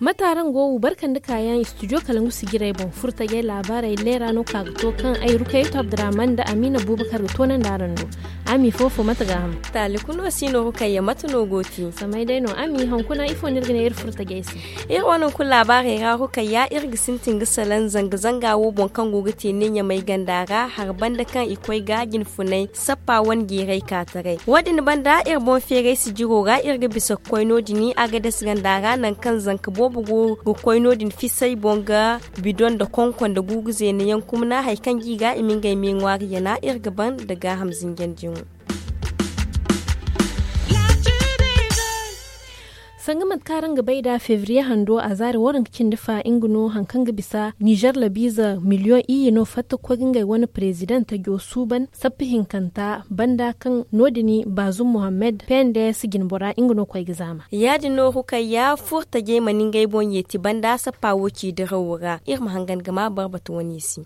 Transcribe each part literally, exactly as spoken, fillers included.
Mate araŋ go wo barka nda kaayaŋ studio kalangu sijirey boŋ furtajey laabaarey leera no ka ga to kaŋ ay rukayatu abdurrahman nda amiina buubakar ga toonandi araŋ do. Ami fofo mate ga ham? Taali kuno si no ga kayya mate no go ti samay day no ami hankuna ifo no iri ga ne iri furtajey se? Iri wane hunkuna laabaarey ra ga kayya iri ga sintin ga salaŋ zanga-zanga wo boŋ kaŋ go ga te ne ɲamay ganda ra hari banda kaŋ i koy ga jinfunay sappa wane jeeray ka taray wo- din banda iri boŋ feeray sijiro ra iri ga bisa ga koy no- din agades ganda ra nangu kaŋ zanka boobo go ga koy no- din fisay boŋ ga bidoŋ nda konko nda guugu zeena yaŋ kumna hari kaŋ ga i ga i ma ngey me ŋwaari yana iri ga ban nda gaaham zinjandi yaŋo. Sanga mate kaŋ araŋ ga bay nd'a febriye hando a zaari waranka cindi fa nga no hari kaŋ ga bisa nizer labiize miliyoŋ iyye no fatta ga koy ga ngey wane perezidaŋ tajo suuban sappa hinkanta banda kaŋ no- din baazum muhammad pnds jinbora nga no koy ga zaama. Ya- din no rukayya furtajey mana ngey boŋ yeeti banda sappa wo ci dirawo ra iri ma hangan ga ma barbatu wane se.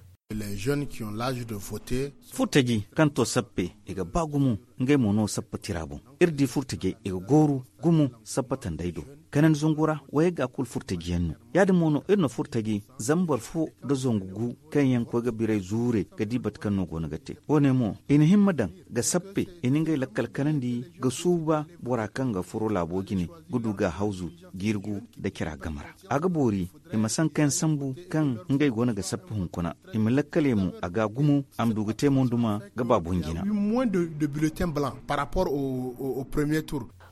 Furtaji kaŋ to sappe i ga ba gumo ngey mo no sappa tira boŋ. Iri di furtajey i ga gooru gumo sappa tandey do. Kanandi zangu ra wayey ga kulu furtaji yaŋ no. Ya- din mo no iri na furtaji zama boro fo nda zangu gu kaŋ yaŋ koy ga biray zuure ga di bate kaŋ no go no ga te wo- ne mo i na himma daŋ ga sappe i na ngey lakkal kanandi ga suuba bora kaŋ ga furo laabo jine ga du ga hawzu jirgu nda cira game ra. A ga boori i ma sanka yaŋ sambu kaŋ ngey go no ga sappa hunkuna i ma lakkale mo a ga gumo a ma du ga te mo nduma ga ba boŋ jina.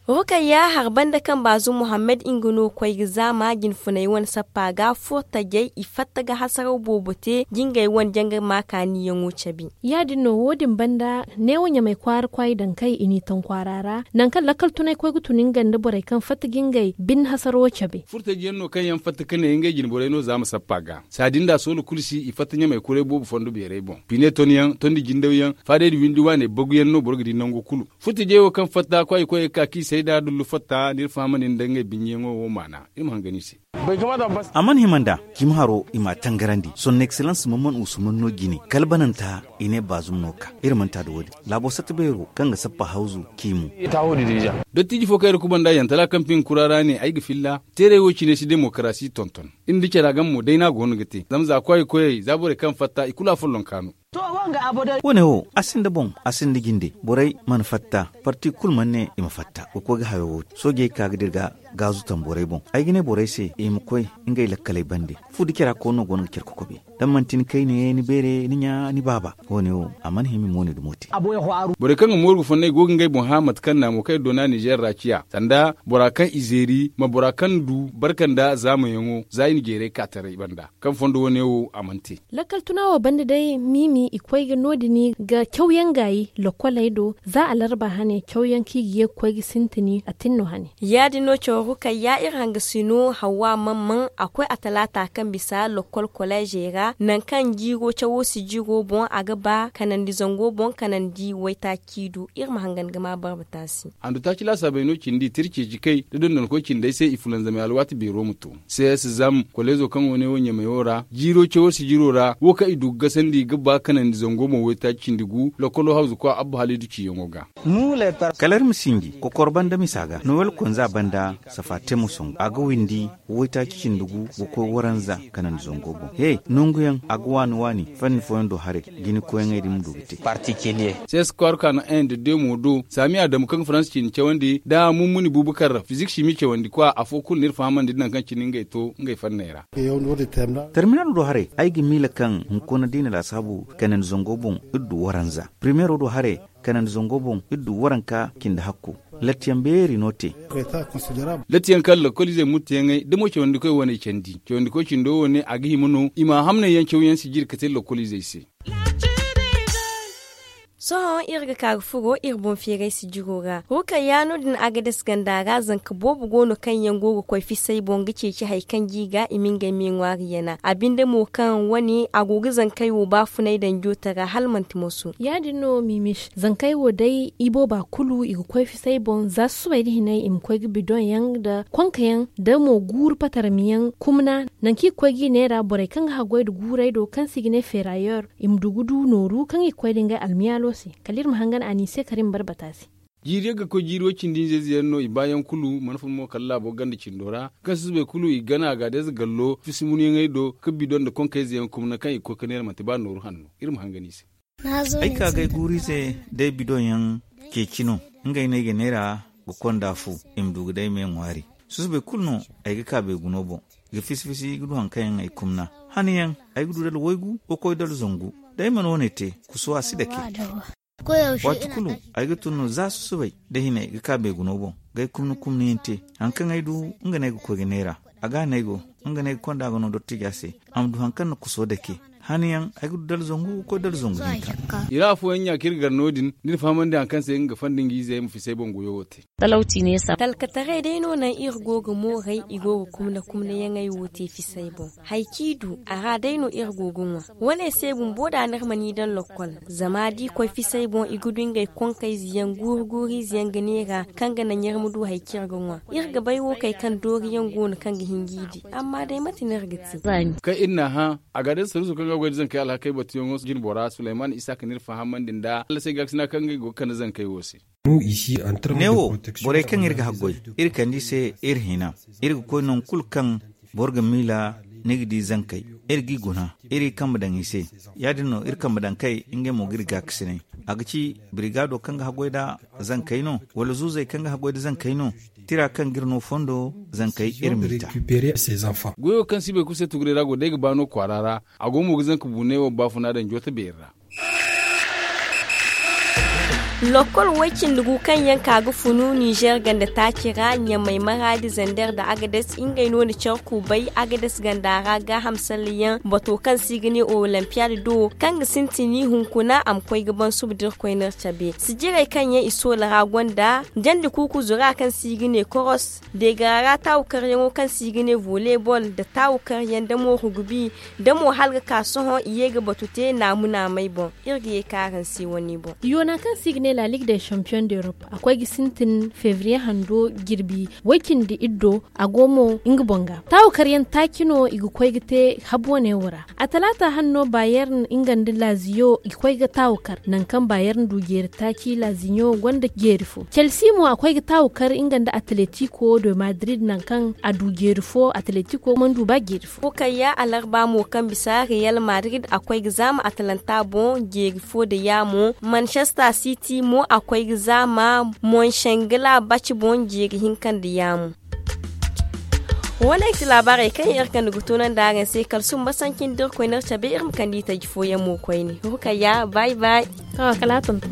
Rukayya hari banda kaŋ baazu muhammad nga no koy ga zaama jinfunay wane sappa ga furtajey i fatta ga hasaraw boobo te jingey wane janga ma kaaniyaŋo cabe. Ya- din no wo- din banda neewo ɲamay kwaara kwaay daŋ kay i n'i taŋ kwaara ra nangu kaŋ lakkal tunay koy ga tun nga nda borey kaŋ fatta ga ngey bine hasaro cabe. Furtaji yaŋ no kaŋ yaŋ fatta ka ne ngey jinborey no za ma sappa ga saadin da soola kulu si i fatta ɲamay kuray boobo fondo beerey boŋ pine ton yaŋ tondi jindaw yaŋ faadey da windi waaney bagu yaŋ no boro ga di nango kulu. Furtajey wo kaŋ fatta kwaay koyey ga ka k'i sayda dullu fatta n'iri fahamandi nda ngey biɲeyaŋo wo maana iri ma hangan i se. A mana hima nd'a cimi haro i m'a tangarandi son excellence mamman usman no jine kala bananta i ne baazum no ka iri manti a da wo- din laabo satta beero kaŋ ga sappa hawzu k'i mu. Dottiiji fo kaŋ iri kubanda yantala kaŋ piŋ kura ra ne ay ga filla teeray wo cine si demokarasi tonton. Iri nda cara game mo day no a go no ga te zama za kwaay koyey za borey kaŋ fatta i kulu a follonka no. Wo- ne wo a sinda boŋ a sinda jinde borey mana fatta parti kulu mana ne i ma fatta ga koy ga hayo wo- din soojey ka ga dira ga gaazu tamborey boŋ ay ga ne borey se i ma koy ngey lakkaley bande. Fu da cara koy no go no ga care kokobe da manti ni kayne ni beere ni ɲa ni baaba wo- ne wo a mana hima i mo ne dumo te. Borey kaŋ ga mooru ga fonnay go ga ngey boŋ hã mate kaŋ naamo kaŋ iri doona nizer ra ciya sanda bora kaŋ i zeeri ma bora kaŋ du barka nda zaamayaŋo za i na jeeray ka taray banda kaŋ fondo wo- ne wo a mana te. Lakkal tuna wo banda day miimi i koy ga no- din ga cawyaŋ gaayi lokkoley do za alarba hane cawyaŋ kaŋ i ga ye ga koy ga sintini a tin no hane. Ya- din no caw rukayya iri hangasino hawwa mamman a koy a talaata kaŋ bisa lokkol koleezey ra nangu kaŋ jiiro cawo si jiiro boŋ a ga ba kanandi zango boŋ kanandi waytaaci du iri ma hangan ga ma barba taasi. Handu taaci laasaabey no cindi tira ceeci kay da dondonkoy cindey se i fulanzamay alwaati beero ma to. Sees zam koleezo kaŋ wo ne wo ɲamayo ra jiiro cawo si jiro ra wo kaŋ i du ga gasandi ga ba kanandi zango boŋ waytaaci cindi gu lokkolo hawzu kwa abba halidu ciyaŋo ga. Kala iri ma sinji kokor banda misa ga nowel konza banda safa te mo songu a ga windi waytaaci cindi gu ga koy waranza kanandi zango boŋ he nanguyaŋ a ga waani waani fanni fooyaŋ do haray jini koyyaŋey din ma du ga te. Sees kwaara ka no en da demo do saami adamu kaŋ ga faransa cindi cawandi nda mummuni buubakar fizik simi cawandi kwa afo kulu no iri fahamandi nangu kaŋ cine ngey to ngey fanney ra. Terminal do haray ay ga miila kaŋ hunkuna da i na laasaabu kanandi zango boŋ iri du waranza primero do haray kanandi zango boŋ iri du waranka cindi hakko. Lattiyaŋ beeri no te. Lattiyaŋ kaŋ lokoliizey muttiyaŋey da mo cawandikoy wane candi cawandikoy cindo wane a ga hima no i ma hamnayyaŋ cawyaŋ si jiri ka te lokoliizey se. Sohõ iri ga ka ga furo iri boŋ feeray sijiro ra. Rukayya no- din agades ganda ra zanka boobo go no kaŋ yaŋ go ga koy fisay boŋ ga ceeci hari kaŋ g'i ga i ma ngey me ŋwaari yana a binde mo kaŋ wane a go ga zankey wo baafunay danjo tara hala manti moso. Ya- din no mimis zankey wo day ibooba kulu i ga koy fisay boŋ za susubay nda hinay i ma koy ga bidoŋ yaŋ nda konka yaŋ nda mo guuru patarmi yaŋ kumna. Nangu kaŋ i ga koy g'i neera borey kaŋ ga haggoy nda guurey do kaŋ se i ga ne feerayer i ma du ga du nooru kaŋ i ga koy nda ngey almiyaalo se. Kala iri ma hangan a n'i se kala iri ma bare bata se. Jiiri yaŋ ga koy jiiri way cindi hinza ize yaŋ no i baayaŋ kulu mana fun mo kala laabo ganda cindo ra kaŋ susubay kulu i gana a ga day za gallo fisi munyaŋey do ga bidoŋ nda konkayze yaŋ kumna kaŋ i ga koy ga neera manti ba nooru hanno. Iri ma hangan i se. Ay ka ga ay guuru ize day bidoŋ yaŋ ceeci no. Ngey no ay ga neera ga konda fu i ma du ga day me ŋwaari. Susubay kulu no ay ga ka beeguno boŋ ga fisi fisi ga du hari kaŋ yaŋ ay kumna. Haniyaŋ ay ga du dala waygu ga koy dala zangu. Day mana wane te kuso a si dake. Waati kulu ay ga tun no za susubay da hinay ga ka beeguno boŋ ga ay kumna kumna yaŋ te. Hari kaŋ ay du nga no ay ga koy ga neera a ga no ay go. Nga no ay ga konda ga no dottija se a ma du hari kaŋ na kuso dake. Haniyaŋ ay ga du dala zangu ga koy dala zangu hinka. I ra afooyaŋ ɲa kaŋ iri gar no- din da iri fahamandi hari kaŋ se nga ga fandi nga ize ay ma fisi ay boŋ goyo wo te. Talkataray day no naŋ iri go ga mooray i go ga kumna kumnayaŋey wo te fisay boŋ. Hari kaŋ i du a ra day no iri go ga ŋwa. Wane se bumbo da n'iri mana i daŋ lokkol zama da i koy fisay boŋ i ga du ngey konkayze yaŋ guuru guuru ize yaŋ ga neera kaŋ ga naŋ iri ma du hari kaŋ iri ga ŋwa. Iri ga bay wo kay kaŋ doori yaŋ go no kaŋ ga hin g'i di. Amma day mate no iri ga te? Kaŋ iri n'a hã a ga day saruuso kaŋ ga goy nda zankey alhakey batuyaŋo jine bora sulayman isa ka n'iri fahamandi nda allasay gaakasina kaŋ ngey go ga kande zankey wo se. Ne wo, borey kaŋ iri ga haggoy iri kande i se iri hina. Iri ga koy nangu kulu kaŋ boro ga miila ni ga di zankey. Iri g'i guna iri kambe daŋ i se. Ya- din no iri kambe daŋ kay ngey mo ga iri gaakasinay. A ga ci birigaado kaŋ ga haggoy nda zankey no wala zuuzey kaŋ ga haggoy nda zankey no? Tira kaŋ ga iri no fondo zankey iri m'i ta. Goyo kaŋ si bay kulu se tuguray ra go day ga ba no kwaara ra. A go mo ga zanka buunay wo baafuna daŋ joota beeri ra. Lokkol way cindi gu kaŋ yaŋ ka ga funu ninzeer ganda taaci ra ɲamay maraadi zander nda agades ngey no na care kuubay agades ganda ra gaaham salleyaŋ bato kaŋ se i ga ne olimpiyaad do kaŋ ga sintin hunkuna a ma koy ga ban suba da iri koy no iri cabe sijirey kaŋ yaŋ i soola ra gonda jandi kuuku zura kaŋ se i ga ne koros deegara ra taawu karyaŋo kaŋ se i ga ne voleebol nda taawu karyaŋ nda mo rugubi nda mo hala ga ka sohõ i ye ga batu te naamu naamey boŋ. Iri ga ye ka araŋ se wane boŋ. Yoona kaŋ se i ga ne la ligue de champion d'europe a koy ga sintin febriye hando jirbi way cindi iddo a go mo nga boŋ ga taawu karyaŋ taaci no i ga koy ga te habu wane wo ra. A talaata hanno bayern nga nda laziyo i ga koy ga taawu kar nangu kaŋ bayern du jeeri taaci laziyo gonda jeeri fo chelsea mo a koy ga taawu kar nga nda atletico de madrid nangu kaŋ a du jeeri fo atletico mana du ba jeeri fo. Kayya alarba mo kaŋ bisa real madrid a koy ga zaama atlanta boŋ jeeri fo nda yaamo manchester city mo a koy ga zaama monshengla baci boŋ jeeri hinka nda yaamo. Wo- ne ay ti laabaarey kaŋ iri kande ga tunandi araŋ se kala sumba sanci nda iri koy no iri cabe iri ma kande i taji fooyaŋ mo koyne. Rukayya bay bay. Kala a tonton.